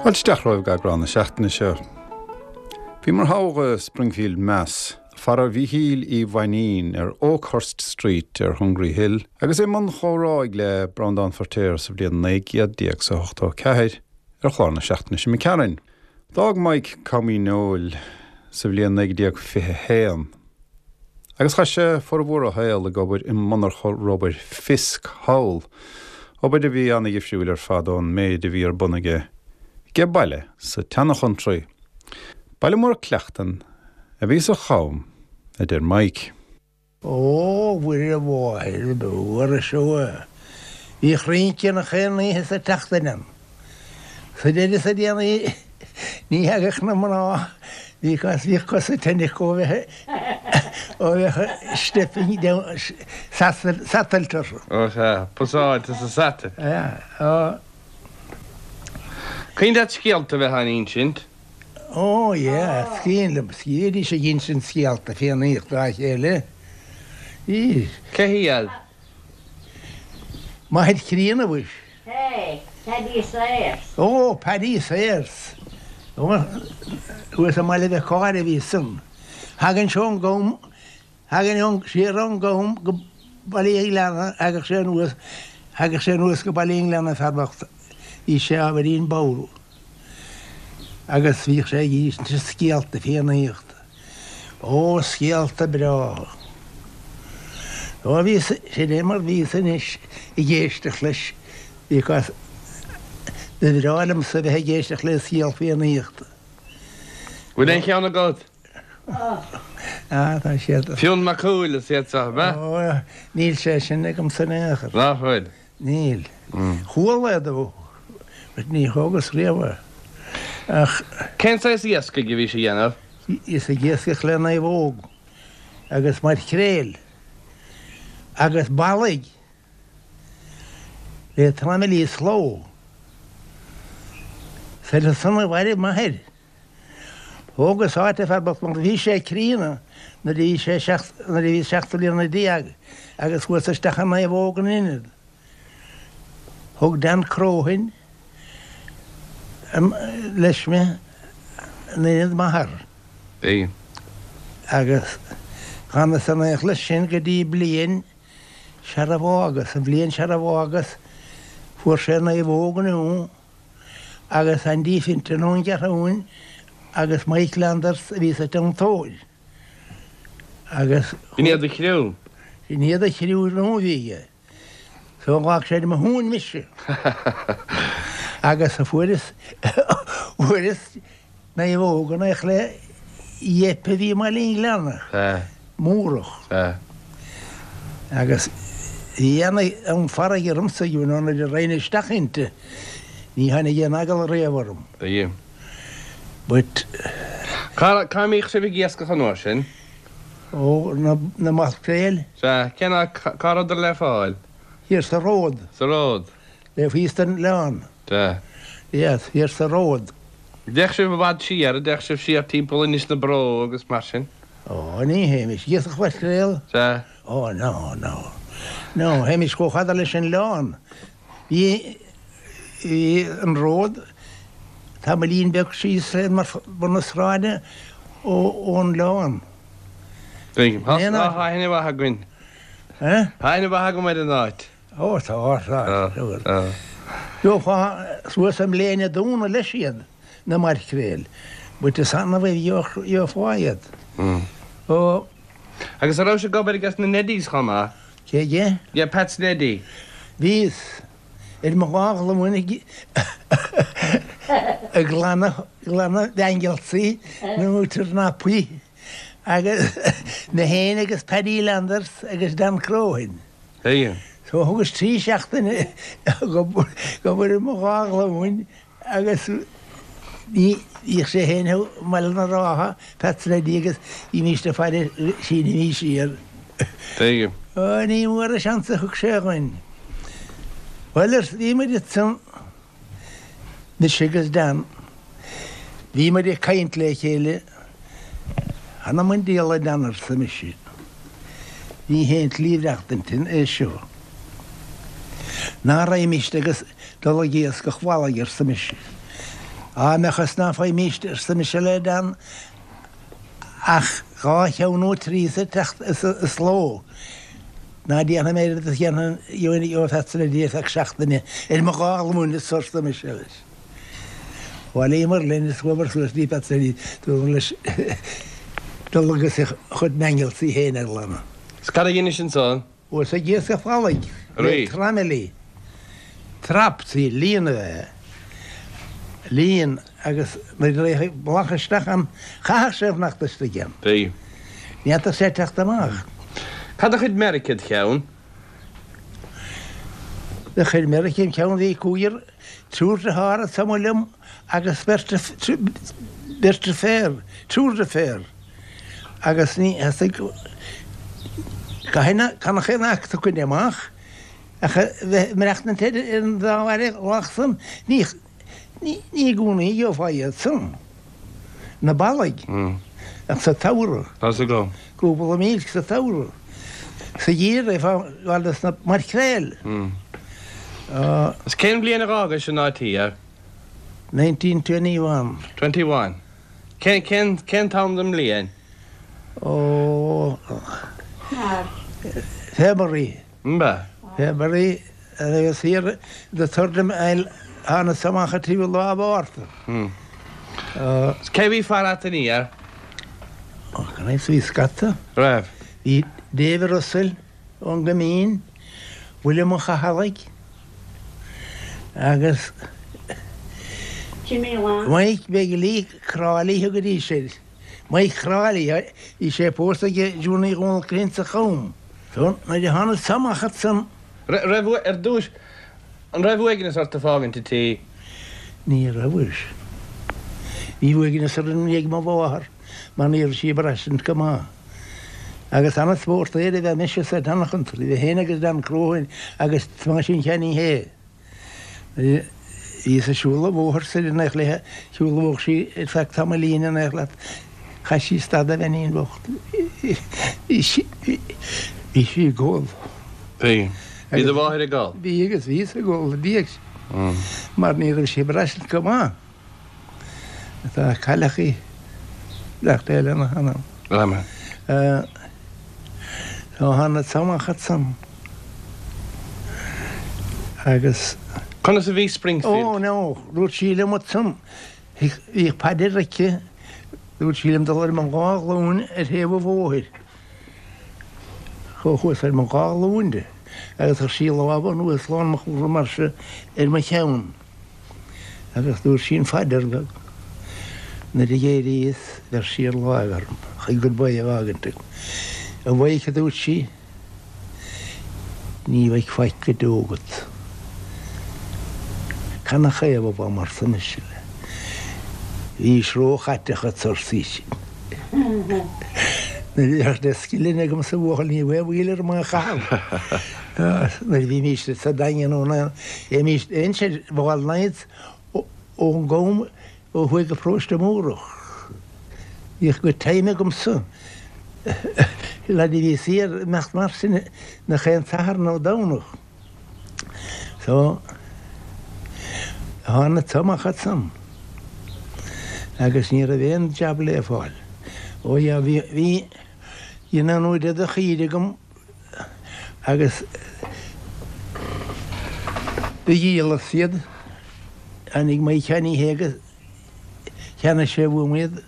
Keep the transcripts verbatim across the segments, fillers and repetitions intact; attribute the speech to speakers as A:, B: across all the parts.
A: Fáilte isteach romhaibh go eagrán na seachtaine seo. Bhíomar thogha Springfield Mass, fara Mhíchíl Uí Mhainín ar Oakhurst Street ar Hungry Hill, agus i mbun comhrá le Breandán Feirtéar sa bhliain naoi gcéad déag is a hochtó ceathair ar chlár na seachtaine seo Cearainn. D'fhág Mike Com Uí Néill sa bhliain naoi déag fiche haon. Agus chaith sé formhór a shaoil ag obair i monarcha rubair Fisk thall, obair a bhí an-dhifriúil ar fad ón méid a bhí ar bun aige age baile sa tseanchountry. Baile mór Clacton a bhí sa Cham, a deir Mike.
B: Ó Mhuire mháthair mhór seo. Bhí rince na chaon oíche sa tseachtain ann. Sa deireadh sa déanaí ní thagadh na mná because bhíodh cosa tinn acu ó bheith ó bheith stepping down satailt orthu.
C: Ó sea, pasáilte sa satal.
B: Yeah, ó.
C: Cuimhin leat scéalta a bheith á n-insint?
B: Ó yeah, is cuimhin liom, bhídís ag insint scéalta fiannaíochta dá chéile. Bhí.
C: Cé hiad?
B: Máthair chríonna mhuis.
D: Hey, Paddy Sayers.
B: Ó, Paddy Sayers. Thuas i mBaile Mhic Cáire a bhí san. Thagann sé ón gCam, thagann ón siar ón gCam go Baile an Ghleanna, thagadh sé anuas, thagadh sé anuas go Baile an Ghleanna fear bocht. Bhí sé ábhairín bodhar. Agus bhíodh sé ag insint scéalta fiannaíochta. Ó, scéalta breátha. Ó, bhí, sin é mar bhíos anois ag éisteacht leis because ba bhreá liomsa bheith ag éisteacht le scéal fiannaíochta.
C: Bhfuil aon cheann agat?
B: Ah, tá siad.
C: Fionn Mac Cumhaill is iad seo, ab ea?
B: Ó, níl sé sin agamsa in aon chor.
C: Nach bhfuil?
B: Níl. Chuala é dó, but ní thógas riamh é. Ach.
C: Cén saghas iascaigh a bhí sé a dhéanamh?
B: Bhíos ag iascach le naomhóg agus maircréil agus ballaigh le tramaillí sloe. Is ar son a mhairbh m'athair. Thógas áit a fear bocht mar bhí sé críonna nuair a bhí sé seacht nuair a bhí seacht mbliana déag agus chuas isteach i naomhóg in Inid. Thug Dan Croghan leis mé in Inid m'athar.
C: Bhí.
B: Agus d'fhanas in éineacht leis sin go dtí bliain sara bhfágas, an bhliain sara bhfágas fuair sé naomhóg nua agus Andy Finton ón gCeathrúin agus Mike Landers a bhí sa tiontóir. Agus.
C: B'in iad a chriú?
B: B'in iad a chriú nua a bhí aige. So ghlac sé ar mo thóin mise. Agus fuaireas fuaireas naomhóg in éineacht le Yep a bhí i mBaile an Ghleanna. Múrach. Agus bhí an farraige ormsa you know nuair a raghainn isteach inti ní tháinig aon eagal riamh orm.
C: Bhí.
B: But.
C: Cá cá mbíodh sibh ag iascach an uair sin?
B: Ó, na na maircréil.
C: Sea, cén áit, cá rabhadar le fáil?
B: Thiar sa ród.
C: Sa ród.
B: Le thíos den oileán.
C: Sea.
B: Yes, thiar sa ród.
C: Dtéadh sibh i bhfad siar, dtéadh sibh siar timpeall Inis na Bró agus mar sin?
B: Ó, ní théimis ag iascach mhaircréal.
C: Sea.
B: Ó, no, no. No, théimis chomh fada leis an oileán. Bhí, bhí an ród tamaillín beag síos le bun na sráide ó, ón oileán.
C: Tuigim. Tá aithne mhaith againn.
B: Eh?
C: Tá aithne mhaith agam ar an áit.
B: Ó, tá, tá. Tá. Gheofá suas i mbléine dúna leis iad, na maircréil. But is annamh a gheofá iad. Ó.
C: Agus an raibh sibh ag obair aige sna Neddies chomh maith?
B: Cé aige?
C: Yeah, Pat's Neddy.
B: Bhíos ar mo dhá ghlúin ag ag glanadh glanadh Bhangelsaí nó turnapaí agus mé féin agus Paddy Landers agus Dan Croghan.
C: Tuigim.
B: So thugas trí seachtaine ag obair ar mo dhá ghlúin agus bhí bhíodh sé féin i mBaile na Rátha, Pat's Neddy agus bhímíst ag faire sínimís siar.
C: Tuigim.
B: Ó ní mór an seans a thug sé dhuinn. Bhuel ar bhí muid ansan, mise agus Dan, bhí muid ag caint le chéile, Th'anam 'on diabhal a Dan arsa mise. Ní haon tslí mhaireachtaint é seo. Ná raghaimíst agus dul ag iascach bhallaigh arsa mise. Á mbeadh is ná faighimíst, arsa mise le Dan, ach dhá cheann nó trí sa tseachtain sa ló. Ná déanfaidh mé oiread is a dhéanfainn gheobhainn Pheatsaí le Dia feadh seachtaine ar mo dhá ghlúin is arsa mise leis. Bhailíomar linn is chuamar suas dtí Pheatsaí dúradh leis dul agus a chuid mangels-í féin a ghlanadh.
C: Is cad a dheinis ansan?
B: Thuas ag iascach fallaigh le traimilí, traps, líon a bheith, líon agus nuair a rachadh ballach isteach ann, chaithfeadh sé fanacht istigh ann.
C: Bhí.
B: Ní fhéadfadh sé teacht amach.
C: Cad a chuir meirg id cheann?
B: Do chuir meirg im cheann, bhí cúigear, triúr dearthár ansan liom agus beirt, beirt deirféar, triúr deirféar agus ní theastaigh, caithfidh, gan ach aon acu a choinne amach ach a bheith ag maireachtaint ar an dá bhealach san, ní, ní i gcónaí a gheofá iad san, na ballaigh, ach sa tsamhradh.
C: Tá's agam.
B: Cúpla míle sa tsamhradh. Sa gheimhreadh, bheifeá ag gabháil dos na maircréil.
C: Is cén bhliain a dh'fhágais an áit thiar?
B: Nineteen twenty one.
C: Twenty one. Cén, cén, cén t-am den mbliain?
B: Ó, February.
C: Mba.
B: February agus thiar the third mile thánas amach an tríú lá Mhárta.
C: Is cé bhí fara a't aniar?
B: Ó, gan a fhios, bhí scata.
C: Raibh.
B: Bhí David Russell ón gCoimín, William Ó Chathallaigh agus
D: Jimmy Long.
B: Mike Begley, Crawley thugaidís air. Mike Crawley, bhí sé pósta ag Junie Dhónaill Crinn sa Chom. So, nuair a thánas amach ansan.
C: Raibh, ar dtús, an raibh uaigneas ort ag fágaint an tí?
B: Ní raibh. Bhí uaigneas orm i ndiaidh mo mháthar mar ní raibh sí ag braistint go maith. Agus an-spórtaire a bheadh mise sa tseanchontae, bhí féin agus Dan Croghan agus Tomáisín Sheáinín Shé. Bhíos ag siúl an bhóthair soir in éineacht léithe, shiúlódh sí ar feadh tamaillín in éineacht leat, chaith sí stad a bheainín bhocht. Bhí sí, bhí sí ag gol.
C: Bhí. Bhí do mháthair ag gol?
B: Bhí agus bhíos ag gol ina diaidh sin mar ní raibh sí ag braistint go maith. Tá cailleach í, beannacht Dé lena hanam.
C: Amen.
B: Tá thánas amach ansan agus.
C: Conas a bhí Springfield?
B: Ó, no, dúirt sí liom ansan, bhíodh paidir aici, dúirt sí liom dul ar mo dhá ghlúin ar thaobh an bhóthair. Chuas ar mo dhá ghlúin di agus chuir sí lámh anuas lán mo chúlra mar seo ar mo cheann. Agus dúirt sí an phaidir go nuair a d'éiríos bheir sí an láimh orm chun goodbye a fhágaint agam. A Mhaidhc, a dúirt sí, ní bheidh faic go deo agat. Canathaobh a bham arsa mise léi. Bhís róchaiteach arsa sise. Nuair a bheadh deich scilling agam sa bhuachaill ní bheadh mhoill orm é a chaitheamh. Nuair a bhímís sa Daingean nó na bhímís aon ball nights ón gCom ó thuaidh go Paróiste Múrach. Bhíodh good time agamsa. Leaid a bhí saor imeacht mar sin nach aon Satharn nó Domhnach. So, tháinig amach ansan agus ní raibh aon jab le fáil. Ó yeah, bhí, bhí, bhí an uair de chaoire agam agus do dhíolas iad. Tháinig Maidhc Sheáiní Shé agus cheannaigh sé uaim iad,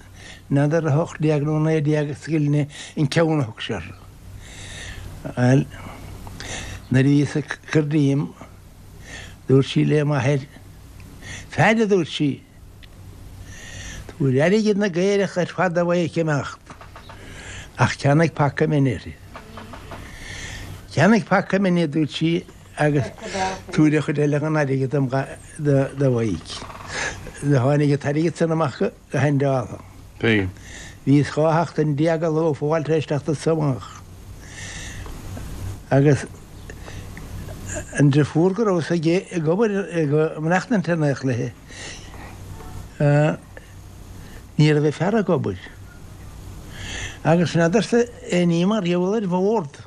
B: n'fheadar a hocht déag nó naoi déag scilling an ceann a thug sé orthu. Bhuel, nuair a bhíos ag cur díom, dúirt sí le m'athair, Faire, a dúirt sí, tabhair airgead na gcaorach ar fad do Mhaidhc imeacht, ach ceannaigh paca mine uirthi. Ceannaigh paca mine, a dúirt sí, agus tabhair an chuid eile den airgead dom do Mhaidhc. Do tháinig an t-airgead san amach go haindeáltha.
C: Bhí.
B: Bhíos dhá sheachtain déag a ló fáil tar éis teacht anso amach. Agus an deirfiúr go rabhas aige ag obair ag maireachtaint in éineacht léi, ní raibh a fear ag obair. Agus n'fheadarsa aon ní mar gheall ar bhord.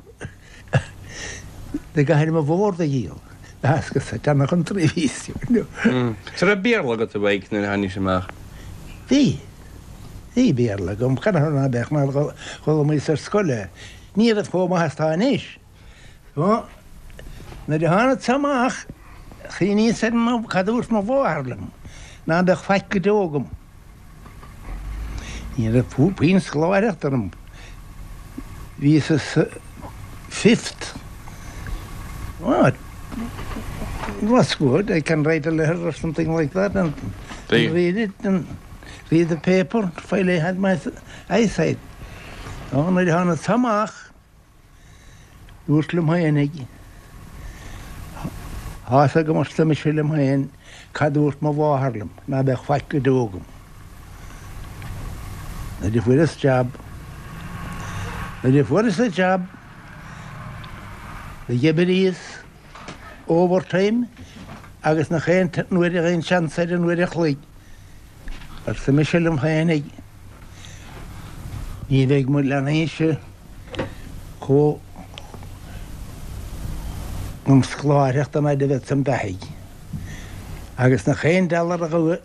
B: Do gcaithfinn mo bhord a dhíol. Theascas sa tseana-chountry a bhíos, you know.
C: So raibh Béarla agat a Mhaidhc nuair a tháinig amach?
B: Bhí. Bhí Béarla agam, canathaobh ná beadh mar d'fhoghlaimíos ar scoil é. Ní raibh chomh maith is atá anois. So, nuair a tháinig amach, chuimhníos ar mo, cad a dúirt mo mháthair liom, ná beadh faic go deo agam. Ní raibh puinn scoláireachta orm. Bhíos sa fifth. What? It was good. I can write a letter or something like that and read it and read the paper while I had my eyesight. Ó, nuair a tháinig amach, dúirt liom féinig, Tá 'fhios agam arsa mise liom féin cad dúirt mo mháthair liom, ná beadh faic go deo agam. Nuair a fuaireas jab, nuair a fuaireas an jab, d'oibríos overtime agus nach aon nuair a aon seans ar an uair a chloig. Arsa mise liom féinig, ní bheidh mo leanaí-se chomh an scoláireacht an fhaid a bheadsa beathaidh. Agus nach aon dollar a thóg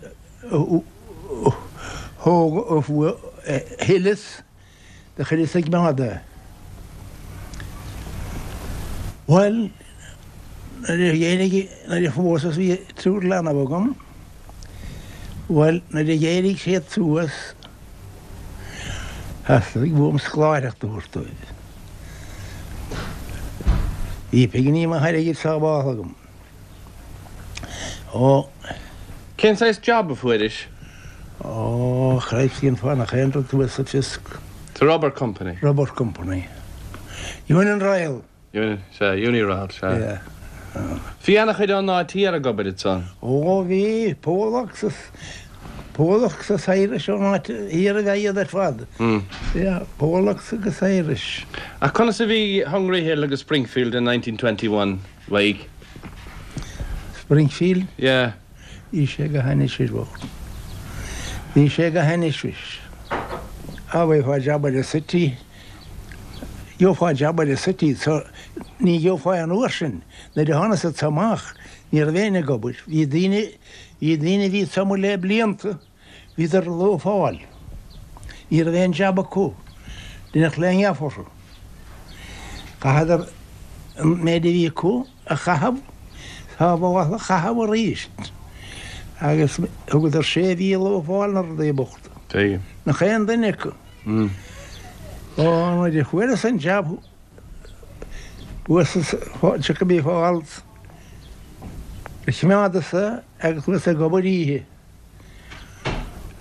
B: thuilleas do chuireas ag coimeád é. Bhuel, nuair a d'éirigh, nuair a phósas bhí triúr leanbh agam, bhuel, nuair a d'éirigh siad suas, theastaigh uaim scoláireacht a thabhairt dóibh. Bhí pinginí maith airgid sábháilte agam. Ó.
C: Cén saghas job a fuairis?
B: Ó, Christ, cén fáth nach aon rud thuas sa Fisk.
C: The Rubber Company.
B: Rubber Company. Union Royal.
C: Uni, sea, Uniroyal, sea.
B: Yeah.
C: Bhí an-chuid ón áit thiar ag obair ansan.
B: Ó, bhí Polacks is Polacks is Irish ón áit thiar a bheith iad ar fad. Yeah, Polacks agus Irish.
C: Ach conas a bhí Hungry Hill agus Springfield in nineteen twenty-one, Mhaidhc?
B: Springfield?
C: Yeah.
B: Bhí sé go hainnis bocht. Bhí sé go hainnis. Á, bhí job in the city. Gheofá job in the city, so ní gheofá an uair sin. Nuair a tháinig siad amach, ní raibh éinne ag obair. Bhí daoine, bhí daoine a bhí amuigh le blianta, bhíodar loafáil. Ní raibh aon job acu. Duine le ngeaf orthu. Chaitheadar an méid a bhí acu a chaitheamh, sábháil a chaitheamh arís. Agus thugadar sé mhí loafáil na rudaí bochta.
C: Tuigim.
B: Nach aon duine acu. Ó, nuair a fuaireas an job thuas Chicopee Falls, choimeádas é agus chuas ag obair oíche.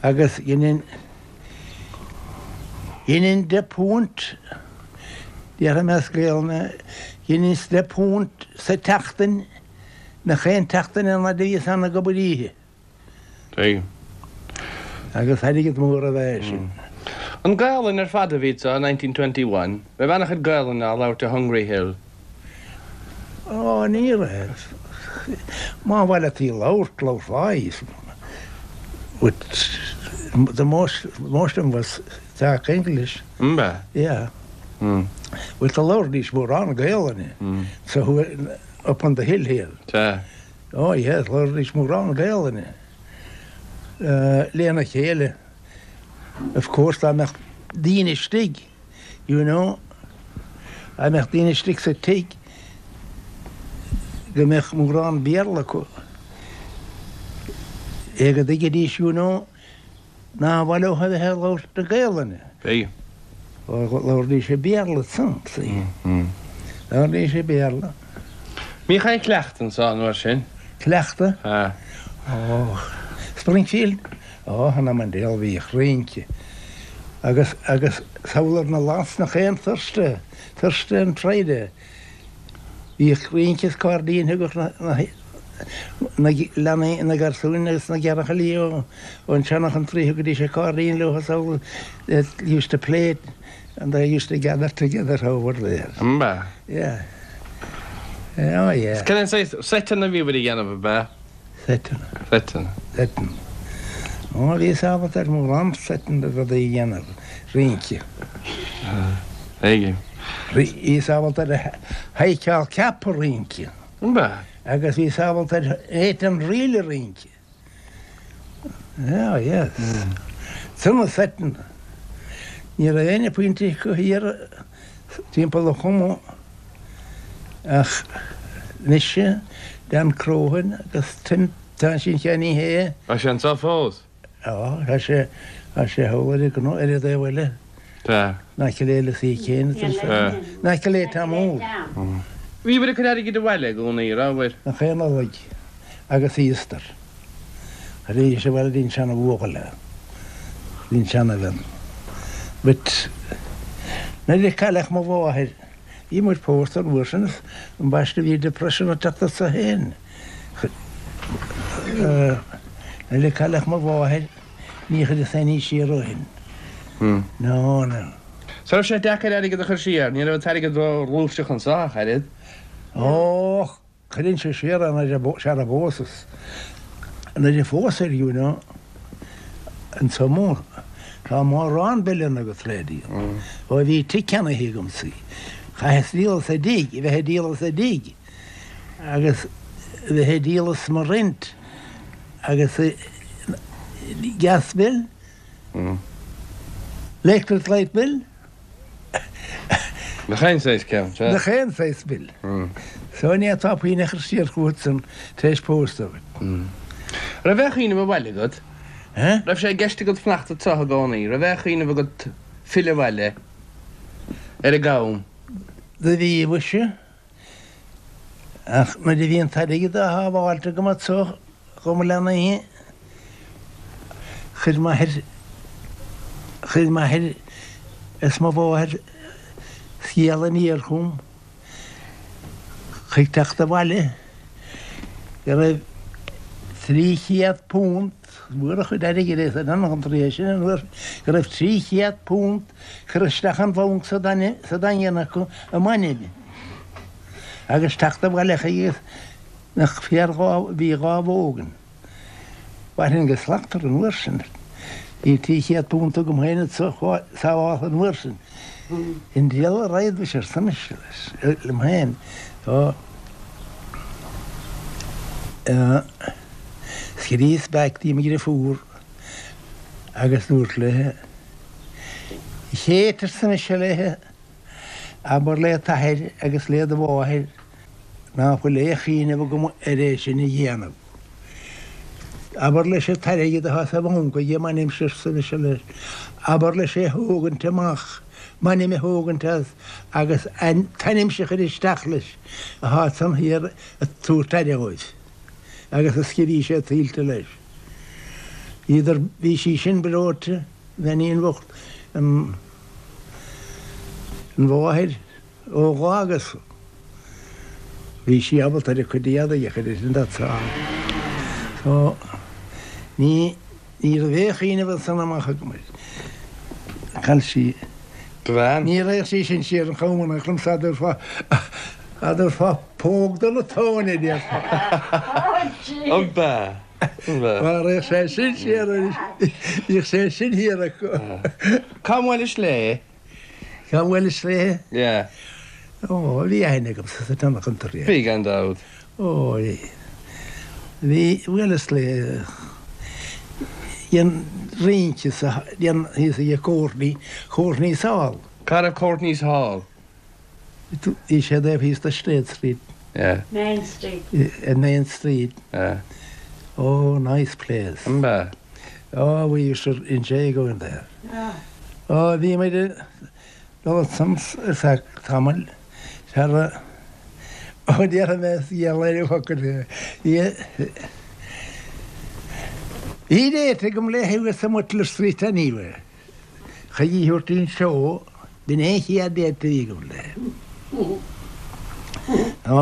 B: Agus dhéanainn dhéanainn deich bpunt, déarfaidh mé as Gaelainn, dhéanainn deich bpunt sa tseachtain, nach aon tseachtain an fhaid a bhíos ann ag obair oíche.
C: Tuigim.
B: Agus airgead mór a bheith sin.
C: An Gaelainn ar fad a bhí anso nineteen twenty-one, raibh an-chuid Gaelainn á labhairt i Hungry Hill.
B: Ó, ní raibh. Má bhfuil tí labhairt, labharfá í. But the most, most of them was talk English.
C: Mbe?
B: Yeah.
C: Mm.
B: Well, the labhraídís mórán Gaelainne.
C: Mm.
B: So who up on the hill here.
C: Sea.
B: Oh yes, labhraídís mórán Gaelainne. Uh, lena chéile. Of course, dá mbeadh daoine istigh, you know, dá mbeadh daoine istigh sa tigh, go mbeadh mórán Béarla acu. É go dtuigfidís, you know, ná mhaith leo a bheith ag labhairt na Gaelainne.
C: Bhí.
B: Labhraídís Béarla san, see.
C: Mm.
B: Labhraídís Béarla.
C: Bhíodh aon chleachtadh anso an uair sin?
B: Cleachtadh?
C: Ah.
B: Ó, Springfield? Ó, th'anam 'on diabhal bhíodh rince. Agus, agus samhlaigh na lads nach aon Thursday, Thursday and Friday. Bhíodh rince is cairdín thugadh na, na, na leanaí na garsúin agus na gearrchailí ó ón seana-country thugaidís an cairdín leo samhlaigh, they used to play it and they used to gather together over there.
C: Mbe?
B: Yeah. Oh, yeah.
C: Cén saghas seiteanna a bhí a dhéanamh ab ea?
B: Seiteanna.
C: Seiteanna.
B: Seiteanna. Ó, bhí sábháilte ar mórán seiteanna rudaí a dhéanamh, rince.
C: Tuigim.
B: Bhí sábháilte ar sheiceáil ceapadh rince.
C: An b'ea?
B: Agus bhíos ábalta ar eight an ríl a rince. Oh, yes. San Sutton. Ní raibh aon phointe acu thiar timpeall an Choma ach mise, Dan Crohan agus Tim, tá sin cheannaithe.
C: Tá sé anseo fós?
B: Á, tá sé, tá sé thall ar an gcnoc, ar an dtaobh eile.
C: Tá.
B: In aice le le sí céanna. In aice le Tom Mór.
C: Bhíobhair ag cur airgid abhaile i gcónaí, rabhair?
B: Nach aon Nollaig agus Easter. Chuiridís abhaile dtí'n seana bhuachaill é, dtí'n seana bhean. But nuair a cailleadh mo mháthair, bhí muid pósta an uair sin, ambaiste bhí depression ag teacht ormsa féin. Nuair a cailleadh mo mháthair, ní chuireas aon ní siar ó shin. No, no.
C: So raibh sé deacair airgead a chur siar, ní raibh an t-airgead ró-ghluaiseach anseo ach oiread.
B: Ó, cuireann sé siar é nuair a sara bpósas. Nuair a phósas, you know, anso mór, tá mórán billeanna agat le díol. Ó bhí tigh ceannaithe agamsa. Chaitheas díol as an dtigh, a bheith ag díol as an dtigh agus a bheith ag díol as mo rent agus gas bill, electric light bill.
C: Nach aon saghas ceann, sea.
B: Nach aon saghas bill. So ní fhéadfá puinn a chur siar chugat san tar éis pósta agat.
C: Raibh aon chuimhneamh abhaile agat?
B: Eh?
C: Raibh sé i gceist agat fanacht anseo i gcónaí? Raibh aon chuimhneamh agat filleadh abhaile ar an gCam?
B: Do bhí, mhuise. Ach nuair a bhí an t-airgead á shábháilt agam anseo do mo leanaí, chuir m'athair, chuir m'athair is mo mháthair scéal aniar chugam chuig teacht abhaile go raibh trí chéad punt, mhór a chuid airgid é san an é sin an uair, go raibh trí chéad punt curtha isteach an bhanc sa Daingean acu i m'ainm agus teacht abhaile chuige nach fear dhá, bhí dhá bhó againn. Mhairfinn go slachtmhar an uair sin. Bhí trí chéad punt agam féin anso sábháltha an uair sin. An diabhal a raghad mhuis arsa mise leis, liom féin. Ó, scríos back dtí mo dheirfiúr agus dúrt léi, A Chéit, arsa mise léi, abair le t'athair agus le do mháthair ná fuil aon chuimhneamh agam ar é sin a dhéanamh. Abair leis an t-airgead atá sa bhanc aige m'ainmse, arsa mise leis, abair leis é a thógaint amach, m'ainm a thógaint as agus an t-ainmse a chur isteach leis atá ansan thiar ag tabhairt aire dhóibh agus is go bhí sé tuillte leis. Bhíodar, bhí sí sin breoite, bheainín bhocht, an an mháthair ó dh'fhágas. Bhí sí ábalta ar a cuid éadaigh a chur uirthi an dá. So, ní, ní raibh aon chuimhneamh ansan amach agam air. Chaill sí.
C: Do bhean?
B: Ní raghadh sí sin siar an Cham in aon chor liomsa, a dtabharfá, a dtabharfá póg do na tóin a déarfá.
C: An b'ea? An b'ea?
B: Má raghadh sé sin siar arís, bhíodh sé sin thiar acu.
C: Cá mbuailis léi?
B: Cá mbuailis léi?
C: Yeah.
B: Ó, bhí aithne agamsa sa tseancheantar, yeah.
C: Bhí, gan dabht.
B: Ó, bhí. Bhí, bhuaileas léi ag rince sa, thíos ag Courtney, Courtney's Hall.
C: Cá raibh Courtney's Hall?
B: Bhí sé taobh thíos de Straight Street.
C: Yeah.
D: Main Street.
B: Main Street.
C: Yeah.
B: Oh, nice place.
C: An b'ea?
B: Oh, we used to enjoy going there.
D: Yeah.
B: Ó, bhí muid ag dul ansan ar feadh tamaill. Sara ó déarfaidh mé is geall ar an bhfocal é. Bhí bhí date agam léi thuas i mButler Street anyway. Chuig í thabhairt an seó, b'in é an chéad date a bhí agam léi. Ó,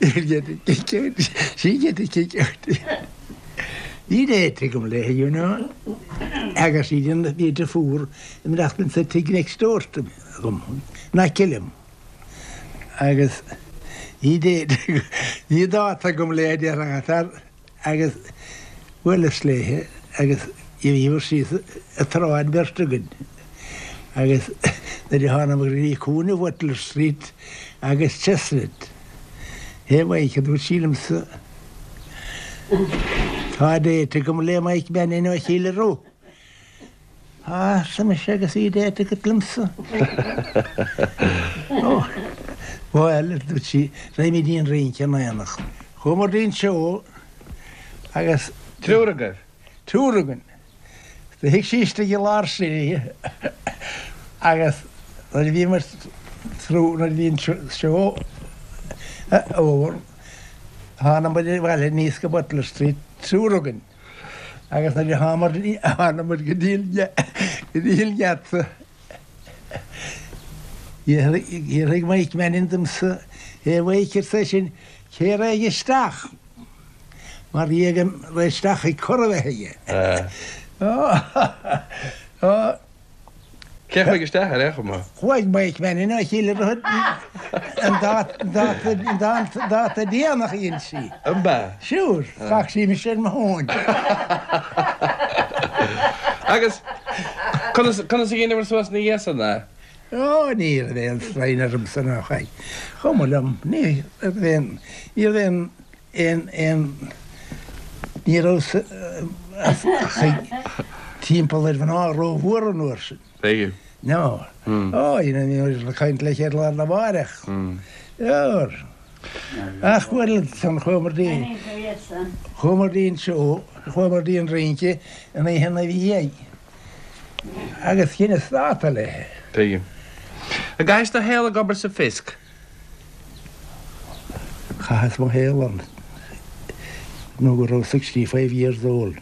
B: you'll get a kick out. She get a kick out. Bhí date agam léi, you know. Agus sí an bhí deirfiúr ag maireachtaint sa tigh next door to me agam, in aice liom. Agus bhí date bhí dáta agam léi déarfá agus bhuaileas léi agus bhíomar síos an tsráid beirt againn. Agus nuair a thánamar go dtí cúinne Butler Street agus Chestnut, Hé Mike, a dúirt sí liomsa, tá date agam le Mike Mannion ó Chill Ro. Á, arsa mise agus bhí date agat liomsa. Ó, bhuel, a dúirt sí, raghaimid dtí an rince in éineacht. Chuamar dtí an seó agus.
C: Triúr agaibh?
B: Triúr againn. Do shuigh sí istigh i lár sí agus nuair a bhíomar through, nuair a bhí an seó over, thána muid abhaile aníos go Butler Street, triúr againn, agus nuair a thámar, thána muid go dtí go dtí an geata, d'fhiafraigh Mike Mannion domsa, Hé Mhaidhc, arsa eisean, cé raghaidh isteach? Mar bhí aige rith isteach ag cur a bheith aige.
C: Cé chuaigh isteach ar aon chuma?
B: Chuaigh Mike Mannion ó Chill Droichead an dáta déanach a dhein sí.
C: An b'ea?
B: Sure, d'fhág sí mise ar mo thóin.
C: Agus conas conas a dheineabhair suas ina dhiaidh san é?
B: Ó, ní raibh aon straidhn ormsa ná chaith. Chuma liom, ní raibh aon, ní raibh aon, aon, aon, ní raibh ach timpeall ar mhná rómhór an uair sin.
C: Tuigim.
B: No. Ó, you know, bhí muid ag caint le chéile lá arna mháireach. Sure. Ach bhuel, ansan chuamar dtí, chuamar dtí an seó, chuamar dtí an rince an oíche ina dhiaidh. Agus dheineas dáta léi.
C: Tuigim. An gcaithis do shaol ag obair sa Fisk?
B: Chaitheas mo shaol ann nó go raibh sixty five years old.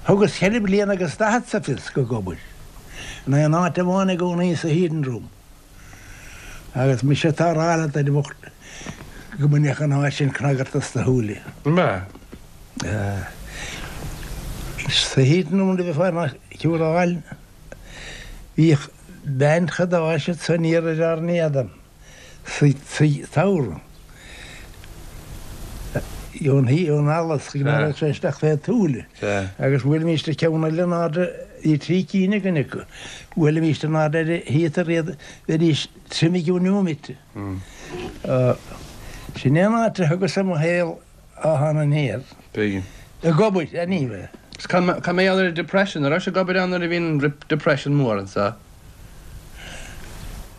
B: Thugas ceithre bliana agus daichead sa Fisk ag obair. In aon áit amháin i gcónaí sa heating room. Agus mise atá a rá leat a bhocht go mbainfeadh an áit sin cnagart as do shúile.
C: An b'ea?
B: Sa heating room a bheifeá ina chiúráil, bhíodh bean chadáis anso aniar ar ár n-éadan sa samhradh. Ón ón allas go raibh sé isteach fé tsúile. Agus bhuailimíst ceann eile in airde, bhí trí cinn againn acu, bhuailimíst in airde ar an heater iad, bheidís tirim i gceann neomaite. Sin é an áit a thugas mo shaol ó thán aniar.
C: Tuigim.
B: Ag obair, anyway.
C: Is cad mar gheall ar an Depression, an raibh sé ag obair ann nuair a bhí an Depression mór anso?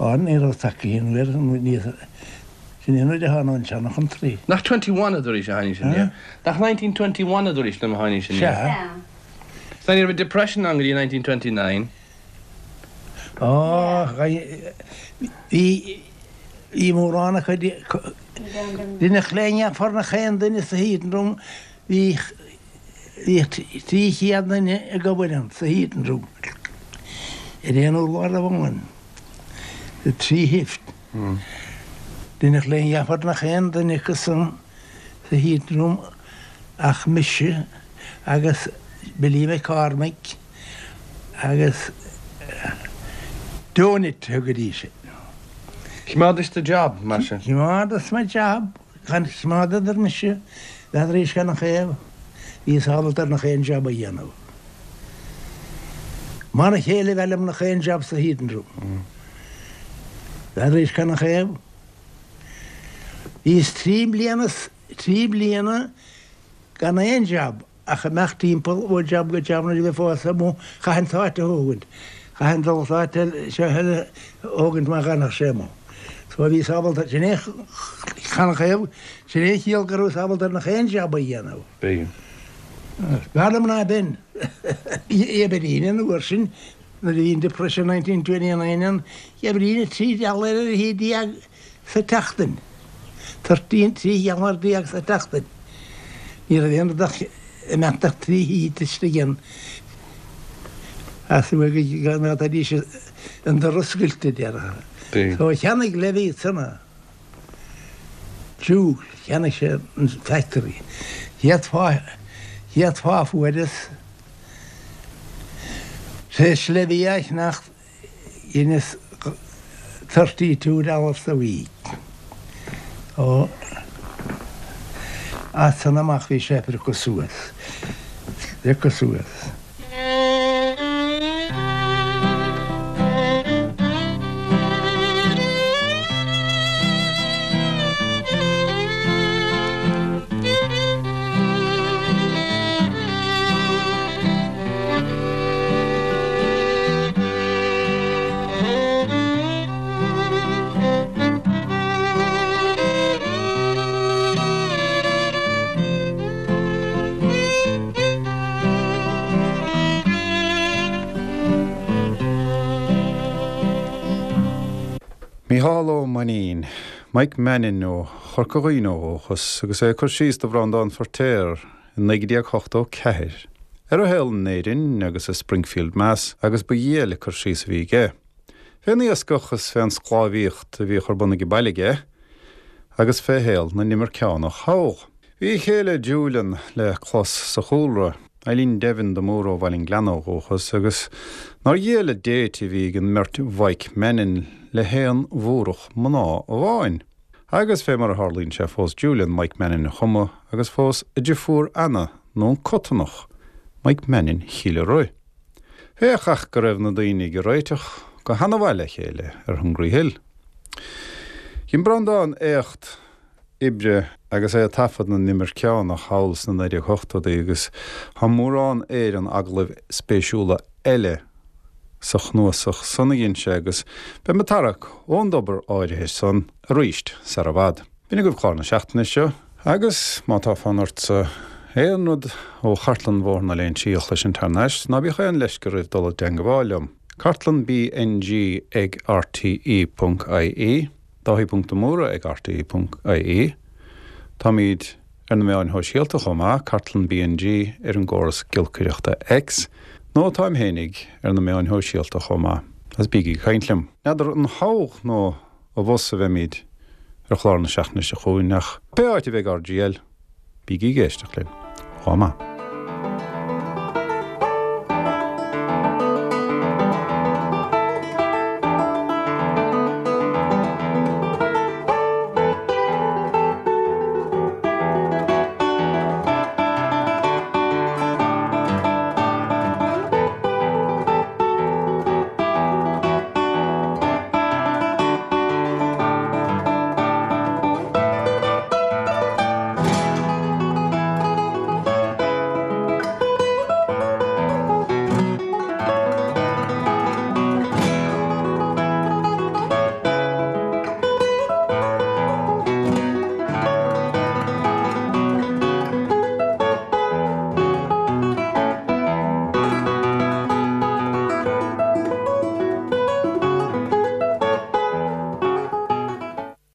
B: Á, ní raibh tacaí an uair, ní, sin é an uair a thána an seanchountry.
C: Nach twenty one a dúraís a tháinig sin, yeah? Nach nineteen twenty one a dúraís liom a tháinig sin, yeah?
B: Sea.
C: So ní raibh Depression ann go dtí nineteen twenty nine.
B: Á, bhí, bhí mórán acu, rinneadh léineadh nach aon duine sa heating room, bhí, bhí trí chéad duine ag obair ann sa heating room ar aon urlár amháin. Trí shift. Rinneadh léineadh nach aon duine acu san sa heating room ach mise agus Billy McCormick agus Donut thugaidís air.
C: Choimeádais do job, mar sin?
B: Choimeádas mo job. Choimeádadar mise, n'fheadaraís canathaobh, bhíos ábalta ar nach aon job a dhéanamh. Mar a chéile a bheith liom nach aon job sa heating room. N'fheadaraís canathaobh. Bhíos trí bliana, trí bliana gan aon job ach imeacht timpeall ó job go job nuair a bheifeá amuigh, chaithfinn t'áit a thógaint, chaithfinn dul t'áit eile, seo eile a thógaint má dh'fhanfadh sé amuigh. So bhíos ábalta, sin é canathaobh, sin é an chiall go rabhas ábalta ar nach aon job a dhéanamh.
C: B'fhéidir.
B: B'fhearr liom ná b'in. Oibrínn an uair sin, nuair a bhí an Depression nineteen twenty nine ann, oibrínn trí dhealladh ar a haon déag sa tseachtain. Thirteen, trí dhealladh déag sa tseachtain. Ní raibh aon rud ach imeacht ach trí heat istigh ann. As go bhféadfaidís an doras oscailte, déarfá. So cheannaigh Levy ansan Jew, cheannaigh sé an factory. Chéad phá, chéad phá a fuaireas, tar éis Levy a cheannacht, dheineas thirty two dollars a week. Ó, as san amach bhí sé ag priocadh suas, priocadh suas.
A: Mícheál Ó Mainnín, Mike Mannion ó Chorca Dhuibhne ó dhúchas agus é ag cur síos do Bhreandán Feirtéar i naoi déag ochtó ceathair. Ar a shaol in Éirinn agus i Springfield Mass agus ba dhiail cur síos a bhí aige. Fén iascach is fén sclábhaíocht a bhíodh ar bun ag baile aige, agus fé shaol na n-imirceánach thall. Bhí a chéile Julian le clos sa chúlra, Eileen Devin de Mór ó Bhaile an Ghleanna ó dhúchas agus nár dhiail an date a bhí ag an mbeirt Mhike Mannion le haon Mhúrach mná amháin. Agus fé mar a tharlaíonn sé phós Julian Mike Mannion chomh maith agus phós a deirfiúr Anna nó an Cottonach, Mike Mannion Chill Ruith. Féach ach go raibh na daoine ag réiteach go han-mhaith le chéile ar Hungry Hill. Dhein Breandán éacht oibre agus é ag taifead na n-imirceánach thall sna naoi déag ochtóidí agus tá mórán Éireann agallaimh spéisiúla eile sa chnuasach san a dhein sé agus beidh mé ag tarrac ón dtobar áirithe san arís sar i bhfad. B'in agaibh clár na seachtaine seo agus má tá fonn ortsa aon rud ó chartlann Bhóthar na Léinsí a chloisint thar n-ais, ná bíodh aon leisce oraibh dul i dteangmháil liom. Cartlann BNG ag RTE ponc IE, Dáithí ponc de Mórdha ag RTE ponc IE. Táimid ar na meáin shóisialta chomh maith, Cartlann BNG ar an gcóras giolcaireachta X, nó táim fhéinig ar na meáin shóisialta chomh maith, agus bígí ag caint liom. N'fheadar an thall nó abhus a bheimid ar chlár na seachtaine seo chugainn ach pé áit a bheidh RGL, bígí ag éisteacht linn. Chomh maith.